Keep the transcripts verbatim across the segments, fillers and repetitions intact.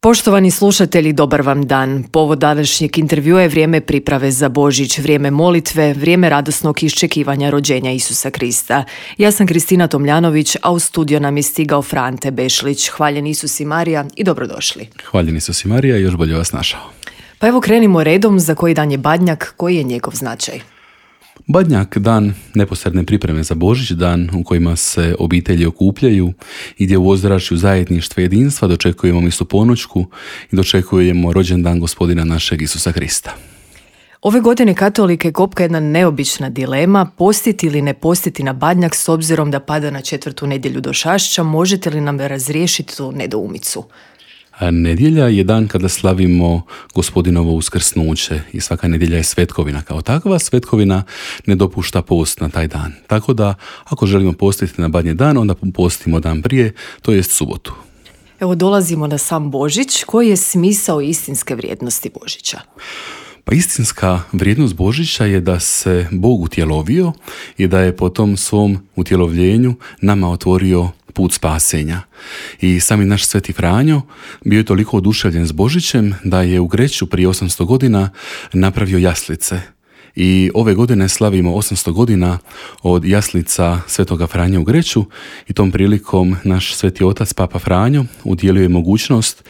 Poštovani slušatelji, dobar vam dan. Povod današnjeg intervjua je vrijeme priprave za Božić, vrijeme molitve, vrijeme radosnog iščekivanja rođenja Isusa Krista. Ja sam Kristina Tomljanović, a u studio nam je stigao Frante Bešlić. Hvaljen Isus i Marija i dobrodošli. Hvaljen Isus i Marija i još bolje vas našao. Pa evo krenimo redom, za koji dan je Badnjak, koji je njegov značaj? Badnjak, dan neposredne pripreme za Božić, dan u kojima se obitelji okupljaju i gdje u ozračju zajedništva i jedinstva dočekujemo misu ponoćku i dočekujemo rođendan gospodina našeg Isusa Krista. Ove godine katolike kopka jedna neobična dilema, postiti ili ne postiti na Badnjak s obzirom da pada na četvrtu nedjelju do Šašća. Možete li nam razriješiti tu nedoumicu? Nedjelja je dan kada slavimo gospodinovo uskrsnuće i svaka nedjelja je svetkovina. Kao takva svetkovina ne dopušta post na taj dan. Tako da ako želimo postiti na Badnji dan, onda postimo dan prije, to jest subotu. Evo dolazimo na sam Božić. Koji je smisao istinske vrijednosti Božića? Pa istinska vrijednost Božića je da se Bog utjelovio i da je po tom svom utjelovljenju nama otvorio put spasenja. I sami naš Sveti Franjo bio je toliko oduševljen s Božićem da je u Greću prije osamsto godina napravio jaslice. I ove godine slavimo osamsto godina od jaslica Svetoga Franje u Greću i tom prilikom naš Sveti Otac Papa Franjo udjelio je mogućnost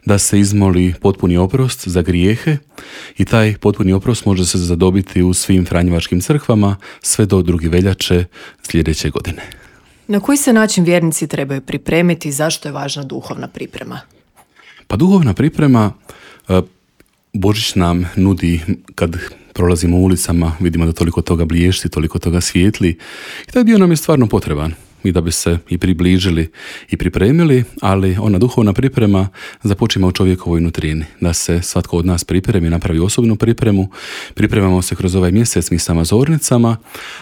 da se izmoli potpuni oprost za grijehe i taj potpuni oprost može se zadobiti u svim franjevačkim crkvama sve do druge veljače sljedeće godine. Na koji se način vjernici trebaju pripremiti i zašto je važna duhovna priprema? Pa duhovna priprema Božić nam nudi kad prolazimo ulicama, vidimo da toliko toga bliješti, toliko toga svijetli i taj dio nam je stvarno potreban i da bi se i približili i pripremili, ali ona duhovna priprema započima u čovjekovoj nutrini, da se svatko od nas pripremi, napravi osobnu pripremu, pripremamo se kroz ovaj mjesec misama zornicama,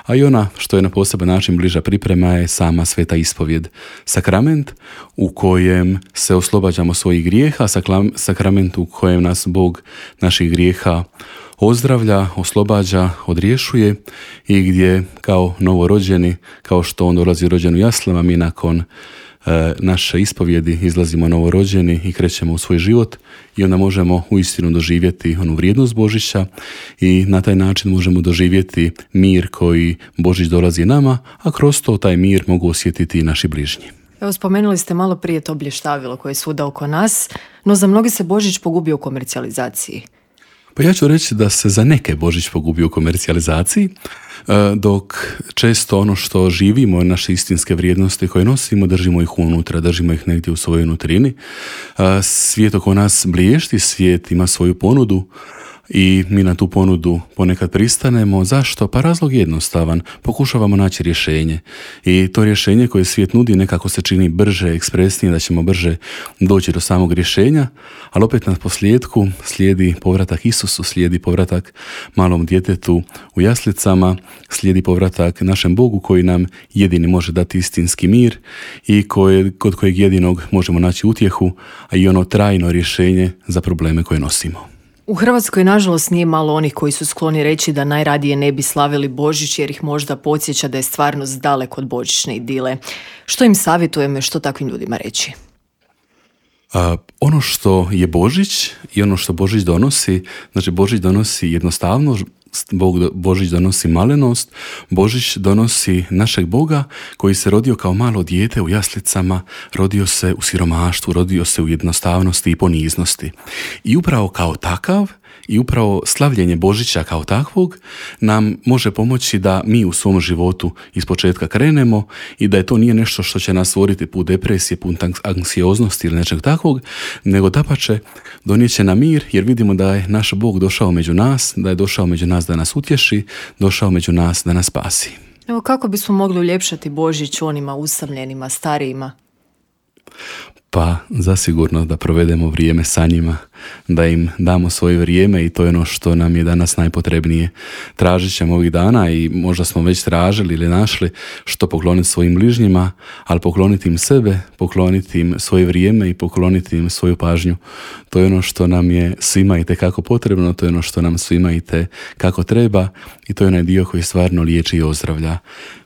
a i ona što je na poseban način bliža priprema je sama sveta ispovjed, sakrament u kojem se oslobađamo svojih grijeha, sakrament u kojem nas Bog naših grijeha ozdravlja, oslobađa, odriješuje i gdje kao novorođeni, kao što on dolazi rođen u jaslama, mi nakon e, naše ispovjedi izlazimo novorođeni i krećemo u svoj život i onda možemo uistinu doživjeti onu vrijednost Božića i na taj način možemo doživjeti mir koji Božić dolazi nama, a kroz to taj mir mogu osjetiti i naši bližnji. Evo, spomenuli ste malo prije to blještavilo koje je svuda oko nas, no za mnogi se Božić pogubio u komercijalizaciji. Pa ja ću reći da se za neke Božić pogubi u komercijalizaciji, dok često ono što živimo, naše istinske vrijednosti koje nosimo, držimo ih unutra, držimo ih negdje u svojoj nutrini. Svijet oko nas bliješti, svijet ima svoju ponudu i mi na tu ponudu ponekad pristanemo. Zašto? Pa razlog je jednostavan. Pokušavamo naći rješenje. I to rješenje koje svijet nudi nekako se čini brže, ekspresnije, da ćemo brže doći do samog rješenja, ali opet na posljedku slijedi povratak Isusu, slijedi povratak malom djetetu u jaslicama, slijedi povratak našem Bogu koji nam jedini može dati istinski mir i koje, kod kojeg jedinog možemo naći utjehu, a i ono trajno rješenje za probleme koje nosimo. U Hrvatskoj, nažalost, nije malo onih koji su skloni reći da najradije ne bi slavili Božić jer ih možda podsjeća da je stvarnost daleko od božićne idile. Što im savjetujemo i što takvim ljudima reći? A, ono što je Božić i ono što Božić donosi, znači Božić donosi jednostavnost, Božić donosi malenost, Božić donosi našeg Boga koji se rodio kao malo dijete u jaslicama, rodio se u siromaštvu, rodio se u jednostavnosti i poniznosti. I upravo kao takav i upravo slavljenje Božića kao takvog nam može pomoći da mi u svom životu ispočetka krenemo i da je to nije nešto što će nas stvoriti put depresije, put anksioznosti ili nečeg takvog, nego dapače donijet će nam mir jer vidimo da je naš Bog došao među nas, da je došao među nas da nas utješi, došao među nas da nas spasi. Evo, kako bismo mogli uljepšati Božić onima usamljenima, starijima? Pa zasigurno da provedemo vrijeme sa njima, da im damo svoje vrijeme i to je ono što nam je danas najpotrebnije. Tražit ćemo ovih dana i možda smo već tražili ili našli što pokloniti svojim bližnjima, ali pokloniti im sebe, pokloniti im svoje vrijeme i pokloniti im svoju pažnju. To je ono što nam je svima itekako potrebno, to je ono što nam svima itekako treba i to je onaj dio koji stvarno liječi i ozdravlja.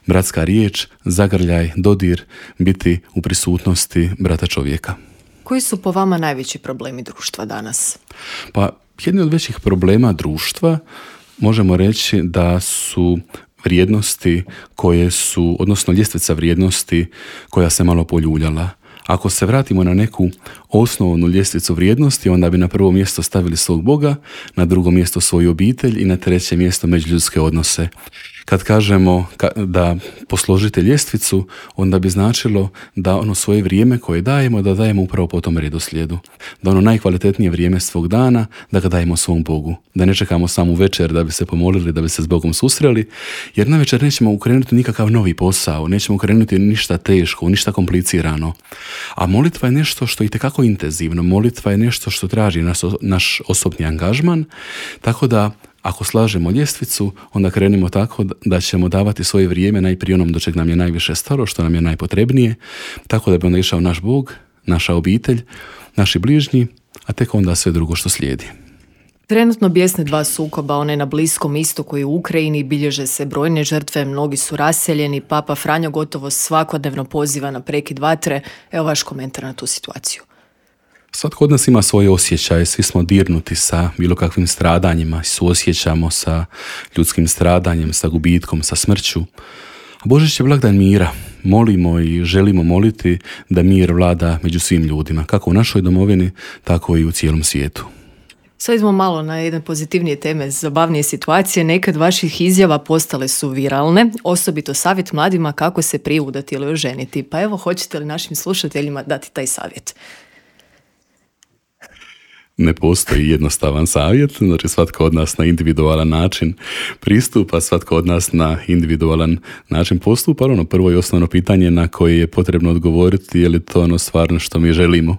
Bratska riječ, zagrljaj, dodir, biti u prisutnosti brata čovjeka. Koji su po vama najveći problemi društva danas? Pa, jedni od većih problema društva možemo reći da su vrijednosti koje su, odnosno ljestvica vrijednosti koja se malo poljuljala. Ako se vratimo na neku osnovnu ljestvicu vrijednosti, onda bi na prvo mjesto stavili svog Boga, na drugo mjesto svoju obitelj i na treće mjesto međuljudske odnose. Kad kažemo da posložite ljestvicu, onda bi značilo da ono svoje vrijeme koje dajemo, da dajemo upravo po tom redoslijedu. Da ono najkvalitetnije vrijeme svog dana, da ga dajemo svom Bogu. Da ne čekamo samu večer da bi se pomolili, da bi se s Bogom susreli, jer na večer nećemo ukrenuti nikakav novi posao, nećemo ukrenuti ništa teško, ništa komplicirano. A molitva je nešto što je itekako intenzivno. Molitva je nešto što traži naš, naš osobni angažman, tako da ako slažemo ljestvicu, onda krenimo tako da ćemo davati svoje vrijeme najprije onom do čeg nam je najviše stalo, što nam je najpotrebnije, tako da bi onda išao naš Bog, naša obitelj, naši bližnji, a tek onda sve drugo što slijedi. Trenutno bijesne dva sukoba, one na Bliskom istoku i u Ukrajini, bilježe se brojne žrtve, mnogi su raseljeni, Papa Franjo gotovo svakodnevno poziva na prekid vatre. Evo vaš komentar na tu situaciju. Svatko od nas ima svoje osjećaje, svi smo dirnuti sa bilo kakvim stradanjima, suosjećamo sa ljudskim stradanjem, sa gubitkom, sa smrću. A Božić je blagdan mira. Molimo i želimo moliti da mir vlada među svim ljudima, kako u našoj domovini, tako i u cijelom svijetu. Sad idemo malo na jedne pozitivnije teme, zabavnije situacije. Nekad vaših izjava postale su viralne, osobito savjet mladima kako se prije udati ili oženiti. Pa evo, hoćete li našim slušateljima dati taj savjet? Ne postoji jednostavan savjet, znači svatko od nas na individualan način pristupa, svatko od nas na individualan način postupa. Ono prvo i osnovno pitanje na koje je potrebno odgovoriti je li to ono stvarno što mi želimo.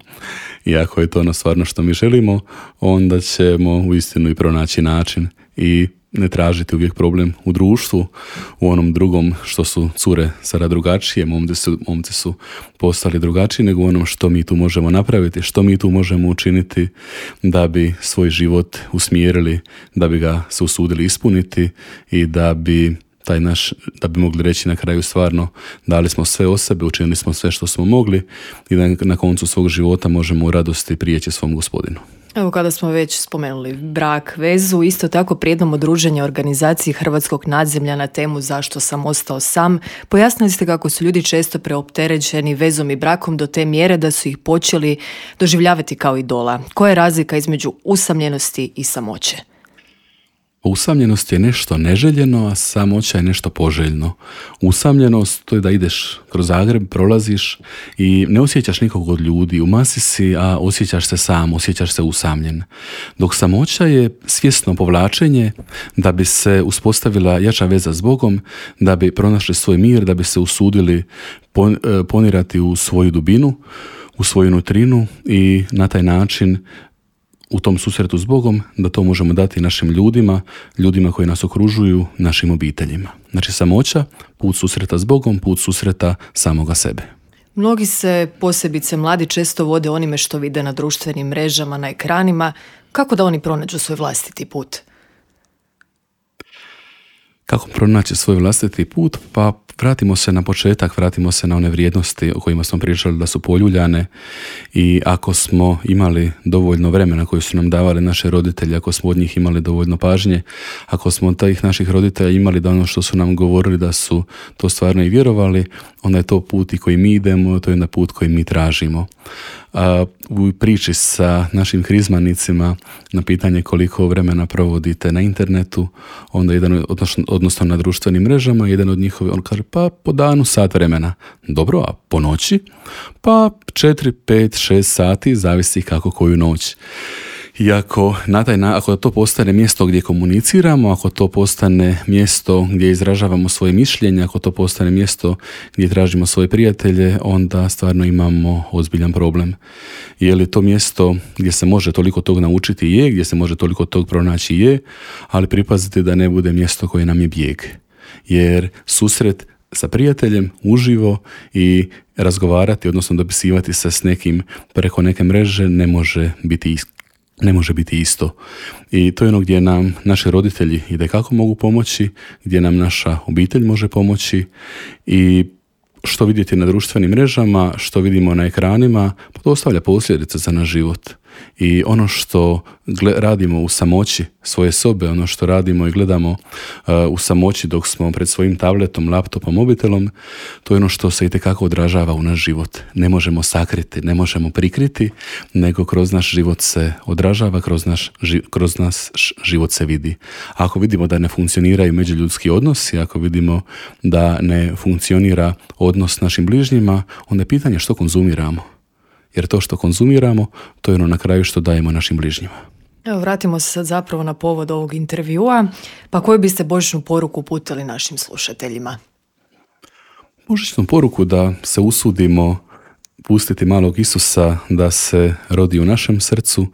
I ako je to ono stvarno što mi želimo, onda ćemo uistinu i pronaći način i ne tražiti uvijek problem u društvu, u onom drugom što su cure sada drugačije, momci su, momci su postali drugačiji, nego u onom što mi tu možemo napraviti, što mi tu možemo učiniti da bi svoj život usmjerili, da bi ga se usudili ispuniti i da bi taj naš, da bi mogli reći na kraju stvarno dali smo sve od sebe, učinili smo sve što smo mogli i da na koncu svog života možemo u radosti prijeći svom Gospodinu. Evo, kada smo već spomenuli brak, vezu, isto tako prijednom udruženja organizaciji Hrvatskog nadzemlja na temu Zašto sam ostao sam, pojasnili ste kako su ljudi često preopterećeni vezom i brakom do te mjere da su ih počeli doživljavati kao idola. Koja je razlika između usamljenosti i samoće? Usamljenost je nešto neželjeno, a samoća je nešto poželjno. Usamljenost to je da ideš kroz Zagreb, prolaziš i ne osjećaš nikog od ljudi, u masi si, a osjećaš se sam, osjećaš se usamljen. Dok samoća je svjesno povlačenje da bi se uspostavila jača veza s Bogom, da bi pronašli svoj mir, da bi se usudili ponirati u svoju dubinu, u svoju nutrinu i na taj način u tom susretu s Bogom, da to možemo dati našim ljudima, ljudima koji nas okružuju, našim obiteljima. Znači samoća, put susreta s Bogom, put susreta samoga sebe. Mnogi se, posebice mladi, često vode onime što vide na društvenim mrežama, na ekranima. Kako da oni pronađu svoj vlastiti put? Kako pronaći svoj vlastiti put? Pa vratimo se na početak, vratimo se na one vrijednosti o kojima smo pričali da su poljuljane i ako smo imali dovoljno vremena koje su nam davali naše roditelji, ako smo od njih imali dovoljno pažnje, ako smo od tih naših roditelja imali da ono što su nam govorili da su to stvarno i vjerovali, onda je to put i koji mi idemo, to je na put koji mi tražimo. A u priči sa našim krizmanicima na pitanje koliko vremena provodite na internetu, onda jedan, odnosno, odnosno na društvenim mrežama, jedan od njihovi, on kaže pa po danu sat vremena. Dobro, a po noći? Pa četiri, pet, šest sati, zavisi kako koju noć. I ako, na taj, ako to postane mjesto gdje komuniciramo, ako to postane mjesto gdje izražavamo svoje mišljenje, ako to postane mjesto gdje tražimo svoje prijatelje, onda stvarno imamo ozbiljan problem. Je li to mjesto gdje se može toliko tog naučiti? Je, gdje se može toliko tog pronaći? Je, ali pripazite da ne bude mjesto koje nam je bijeg. Jer susret sa prijateljem uživo i razgovarati, odnosno dopisivati se s nekim preko neke mreže ne može biti iskren. Ne može biti isto. I to je ono gdje nam naši roditelji itekako mogu pomoći, gdje nam naša obitelj može pomoći i što vidjeti na društvenim mrežama, što vidimo na ekranima, to ostavlja posljedice za naš život. I ono što radimo u samoći svoje sobe, ono što radimo i gledamo uh, u samoći dok smo pred svojim tabletom, laptopom, mobitelom, to je ono što se itekako odražava u naš život. Ne možemo sakriti, ne možemo prikriti, nego kroz naš život se odražava, kroz naš, kroz nas život se vidi. Ako vidimo da ne funkcioniraju međuljudski odnosi, ako vidimo da ne funkcionira odnos s našim bližnjima, onda je pitanje što konzumiramo. Jer to što konzumiramo, to je ono na kraju što dajemo našim bližnjima. Evo, vratimo se sad zapravo na povod ovog intervjua. Pa koju biste božićnu poruku uputili našim slušateljima? Božićnu poruku da se usudimo pustiti malog Isusa da se rodi u našem srcu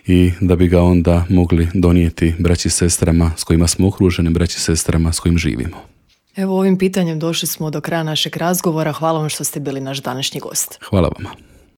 i da bi ga onda mogli donijeti braći i sestrama s kojima smo okruženi, braći i sestrama s kojim živimo. Evo, ovim pitanjem došli smo do kraja našeg razgovora. Hvala vam što ste bili naš današnji gost. Hvala vama.